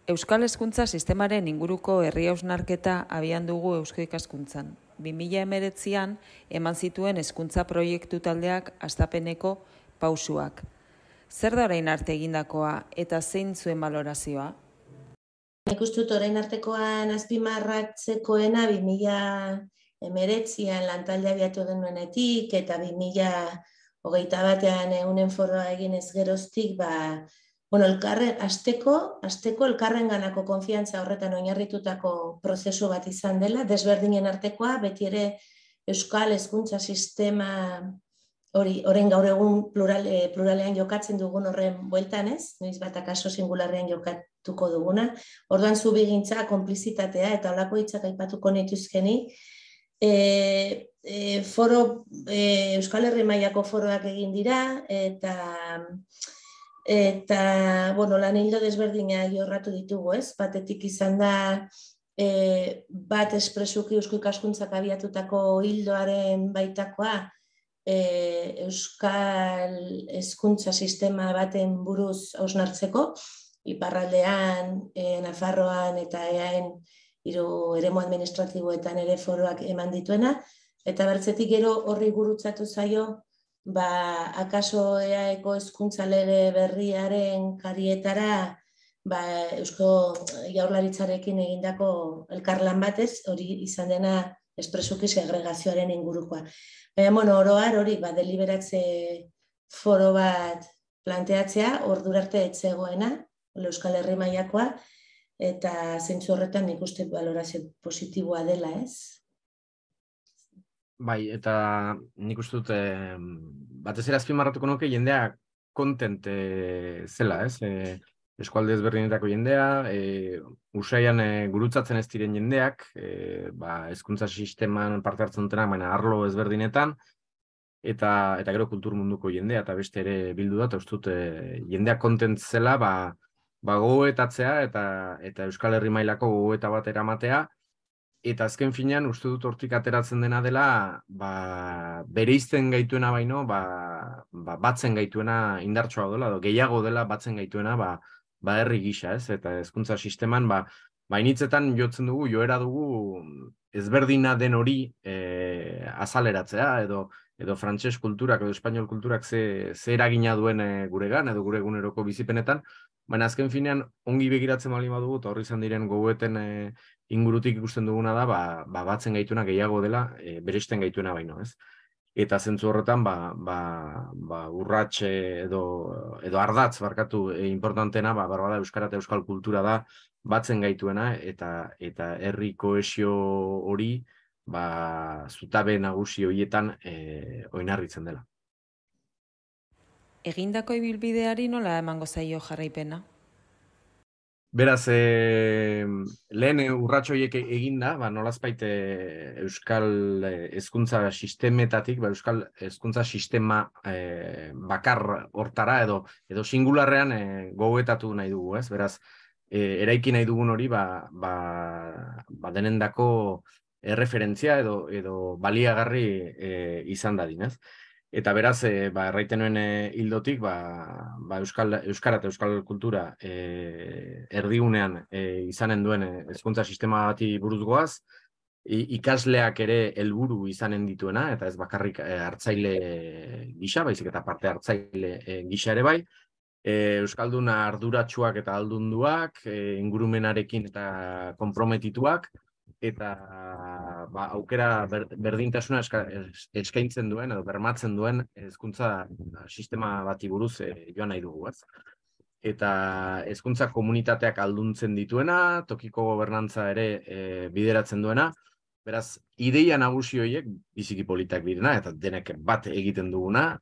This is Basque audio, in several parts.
Euskal Hezkuntza Sistemaren inguruko herri hausnarketa abian dugu Eusko Ikaskuntzan. 2019an eman zituen hezkuntza proiektu taldeak hastapeneko pausuak. Zer da orain arte egindakoa eta zein zuen balorazioa? Nik uste dut orain artekoan azpimarratzekoena 2019an lantaldea abiatu genuenetik eta 2021an eunen foroa eginez geroztik, hasteko elkarrenganako konfiantza horretan oinarritutako prozesu bat izan dela, desberdinen artekoa, beti ere Euskal Hezkuntza Sistema orain gaur egun pluralean jokatzen dugun horren bueltan ez, noiz bat akaso singularrean jokatuko duguna. Orduan zubigintza, konplizitatea eta holako hitzak aipatuko nituzkeni. Euskal Herri mailako foroak egin dira eta lan hildo desberdinak jorratu ditugu, ez? Batetik izan da bat espresuki Eusko Ikaskuntzak abiatutako hildoaren baitakoa, Euskal Hezkuntza Sistema baten buruz hausnartzeko, iparraldean, Nafarroan eta EAen hiru eremu administratiboetan ere foroak eman dituena, eta bertzetik gero horri gurutzatu zaio, akaso EAeko hezkuntza lege berriaren karietara Eusko Jaurlaritzarekin egindako elkarlan batez, hori izan dena espresuki segregazioaren ingurukoa. Oro har hori deliberatze foro bat planteatzea, ordura arte ez zegoena, Euskal Herri mailakoa, eta zentzu horretan nik uste balorazio positiboa dela, ez? Bai, eta nik uste dut, batez ere azpimarratuko nuke jendea kontent zela, ez? Eskualde ezberdinetako jendea, usaian gurutzatzen ez diren jendeak, hezkuntza sisteman parte hartzen dutenak, baina arlo ezberdinetan, eta gero kultur munduko jendea, eta beste ere bildu da, eta uste dut jendea kontent zela, gogoetatzea eta Euskal Herri mailako gogoeta bat eramatea, eta azken finean uste dut hortik ateratzen dena dela, bereizten gaituena baino, batzen gaituena indartsua dela, gehiago dela batzen gaituena, herri gisa, ez? Eta hezkuntza sisteman, initzetan jotzen dugu, joera dugu ezberdina den hori azaleratzea, edo frantses kulturak, edo espainol kulturak ze eragina duen guregan, edo gure eguneroko bizipenetan, baina azken finean ongi begiratzen baldin badugu, eta horri izan diren gogoeten ingurutik ikusten duguna da, batzen gaituena gehiago dela, bereizten gaituena baino, ez? Eta zentzu horretan, urrats edo ardatz barkatu importantena, barbada euskara eta euskal kultura da batzen gaituena, eta herri kohesio hori, zutabe nagusi horietan oinarritzen dela. Egindako ibilbideari nola emango zaio jarraipena? Beraz, lehen urrats horiek eginda, nolazbait euskal hezkuntza sistemetatik, euskal hezkuntza sistema bakar hortara edo singularrean gogoetatu nahi dugu, ez? Beraz, eraiki nahi dugun hori, denendako erreferentzia edo baliagarri izan dadin, ez? Eta beraz, erraiten nuen hildotik, euskara eta euskal kultura erdigunean izanen duen hezkuntza sistema bati buruz goaz, ikasleak ere helburu izanen dituena, eta ez bakarrik hartzaile gisa, baizik eta parte hartzaile gisa ere bai, euskalduna arduratsuak eta aldunduak, ingurumenarekin eta konprometituak, eta aukera berdintasuna eskaintzen duen edo bermatzen duen hezkuntza sistema bati buruz joan nahi dugu, ez? Eta hezkuntza komunitateak alduntzen dituena, tokiko gobernantza ere bideratzen duena, beraz, ideia nagusi horiek biziki politak direna, eta denek bat egiten duguna,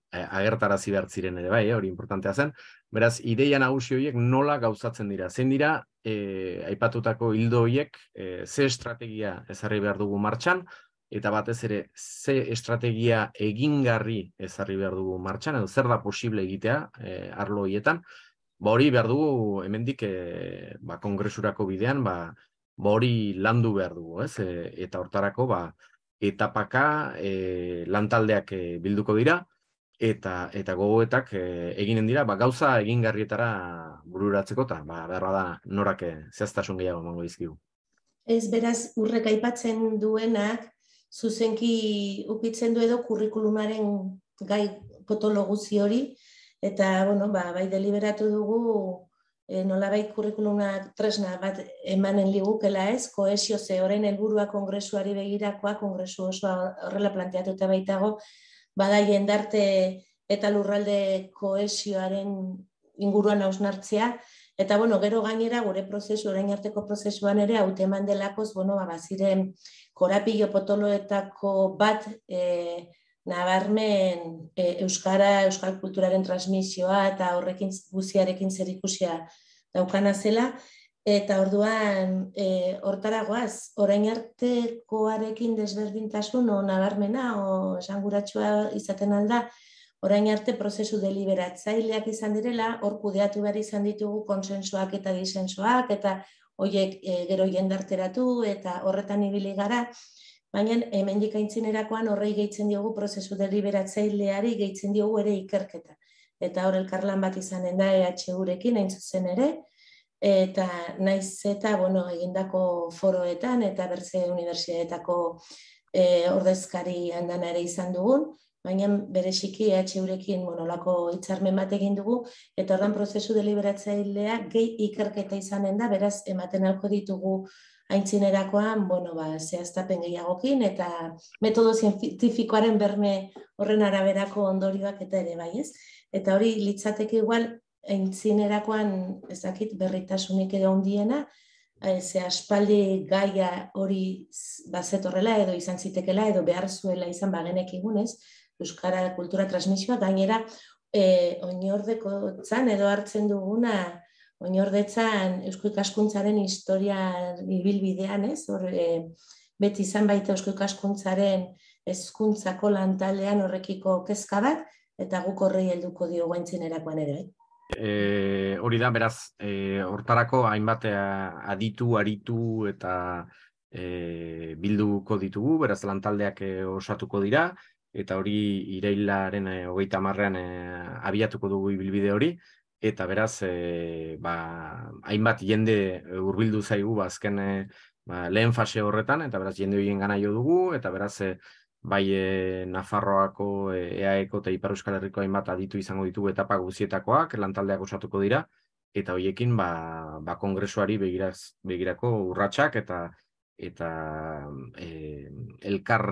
agertarazi behar ziren ere bai, hori importantea zen, beraz, ideia nagusi horiek nola gauzatzen dira. Zein dira, aipatutako hildo horiek, ze estrategia ezarri behar dugu martxan, eta batez ere, ze estrategia egingarri ezarri behar dugu martxan, edo zer da posible egitea arlo horietan, hori behar dugu hemendik kongresurako bidean, hori landu behar dugu, ez? Eta hortarako, etapaka lantaldeak bilduko dira, eta gogoetak eginen dira, gauza egingarrietara bururatzeko, eta beharra da norak zehaztasun gehiago emango dizkigu. Ez, beraz, urrek aipatzen duenak, zuzenki ukitzen du edo kurrikulumaren gai potolo guzti hori, eta, bai deliberatu dugu, nolabait kurrikulumak tresna bat emanen ligukela ez, kohesio ze orain helburua kongresuari begirakoa, kongresu osoa horrela planteatuta baitago, bada jendarte eta lurralde kohesioaren inguruan hausnartzea, eta gero gainera gure prozesu, orain arteko prozesuan ere hauteman delakoz, baziren korapilo potoloetako bat nabarmen euskal kulturaren transmisioa eta horrekin guziarekin zerikusia daukana zela, eta orduan hortaragoaz, orain artekoarekin desberdintasun nabarmena esanguratsua izaten alda, orain arte prozesu deliberatzaileak izan direla, hor kudeatu behar izan ditugu konsensuak eta disensoak, eta horiek gero jendarteratu eta horretan ibili gara, baina hemendik aintzinerakoan horrei gehitzen diogu prozesu deliberatzaileari gehitzen diogu ere ikerketa. Eta hor elkarlan bat izanen da EHU-rekin hain zuzen ere, eta naiz eta egindako foroetan eta bertze unibertsitateetako ordezkari handana ere izan dugun, baina bereziki EHU-rekin olako hitzarmen bat egin dugu, eta ordan prozesu deliberatzailea gehi ikerketa izanen da, beraz ematen alko ditugu aintzinerakoan, zehaztapen gehiagokin, eta metodo zientifikoaren berme horren araberako ondorioak eta ere bai ez. Eta hori litzateke igual, aintzinerakoan ez dakit berritasunik edo handiena, ze aspaldi gaia hori bazetorrela edo izan zitekela edo behar zuela izan bagenekigunez, euskara kultura transmisioa, gainera oinordekotzan edo hartzen duguna, oinordetzan eusko ikaskuntzaren historia ibilbidean, ez? Beti izan baita eusko ikaskuntzaren hezkuntzako lantaldean horrekiko kezka bat, eta guk horrei helduko diogu aintzinerakoan ere. Hori da, beraz, hortarako hainbat aditu, aritu eta bilduko ditugu, beraz lantaldeak osatuko dira, eta hori irailaren 30ean abiatuko dugu ibilbide hori, eta beraz, hainbat jende hurbildu zaigu azken lehen fase horretan, eta beraz jende horien gana jo dugu, eta beraz bai Nafarroako, EAEko eta Ipar Euskal Herriko hainbat aditu izango ditugu etapa guzietakoak, lantaldeak osatuko dira, eta horiekin kongresuari begirako urratsak eta elkar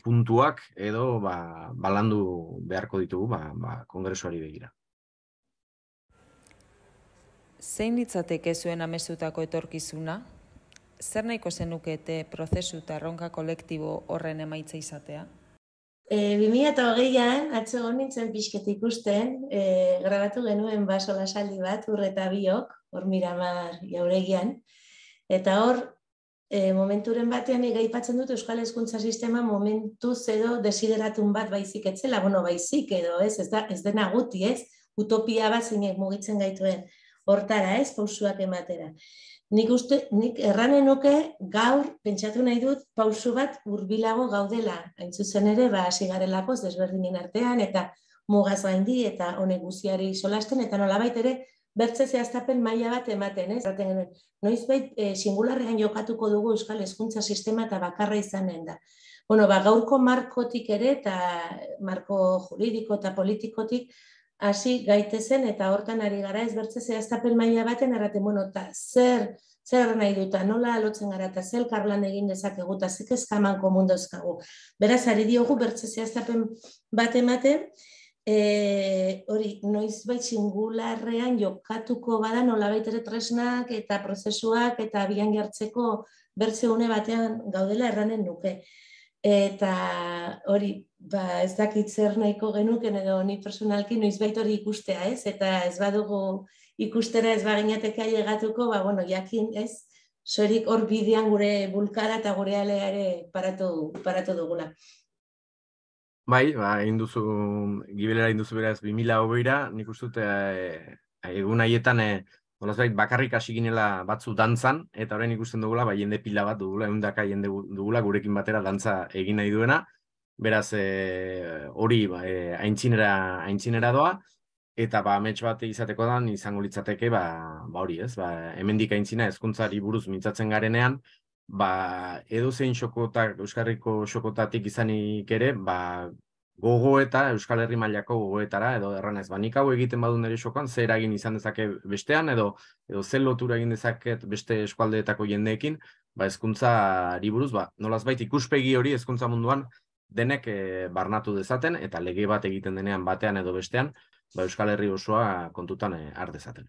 puntuak edo balandu beharko ditugu kongresuari begira. Zein litzateke zuen amezutako etorkizuna? Zer nahiko zenukete prozesu eta erronka kolektibo horren emaitza izatea? 2020an, atzo nintzen pixket ikusten, grabatu genuen solasaldi bat, Urreta biok, hor Miramar jauregian, eta hor, momenturen batean aipatzen dut Euskal Hezkuntza Sistema momentuz edo desideratun bat baizik etzela, baizik edo, ez dena guti, ez, utopia bat zeinek mugitzen gaituen hortara, ez, pausuak ematera. Nik erranen nuke gaur pentsatu nahi dut pausu bat hurbilago gaudela, hain zuzen ere, hasi garelako desberdinen artean, eta mugaz gaindi, eta honek guziari solasten, eta nolabait ere, bertze zehaztapen maila bat ematen, ez? Noizbait singularrean jokatuko dugu Euskal Hezkuntza Sistema eta bakarra izanen da. Gaurko markotik ere, eta marko juridiko eta politikotik, hasi gaitezen eta hortan ari gara ez bertze zehaztapen maila baten erraten, eta zer nahi duta, nola lotzen gara eta zer elkarlan egin dezakegu eta zik eskaman komun dauzkagu. Beraz, ari diogu bertze zehaztapen bat ematen, hori noizbait singularrean jokatuko bada nolabait ere tresnak eta prozesuak eta abian jartzeko bertze une batean gaudela erranen nuke. Eta hori, ez dakit zer nahiko genuken edo ni personalki noizbait hori ikustea, ez? Eta ez badugu ikustera ez baginateke ailegatuko, jakin, ez? Zorik hor bidean gure bulkara eta gure alea ere paratu dugula. Bai, egin duzu, gibelera egin duzu beraz 2020ra, nik uste dut egun haietan bakarrik hasi ginela batzu dantzan, eta orain ikusten dugula, jende pila bat dugula, eundaka jende dugula gurekin batera dantza egin nahi duena, Beraz, hori aintzinera doa, eta amets bat izateko dan izango litzateke, hori ez, hemendik aintzina hezkuntzari buruz mintzatzen garenean, edozein xokotak, Euskarriko xokotatik izanik ere, gogoeta, Euskal Herri mailako gogoetara, edo erranez, nik hau egiten badu nire xokoan, zer eragin izan dezake bestean, edo zer lotura egin dezaket beste eskualdeetako jendeekin, hezkuntzari buruz, nolazbait ikuspegi hori hezkuntza munduan denek barnatu dezaten, eta lege bat egiten denean batean edo bestean, Euskal Herri osoa kontutan har dezaten.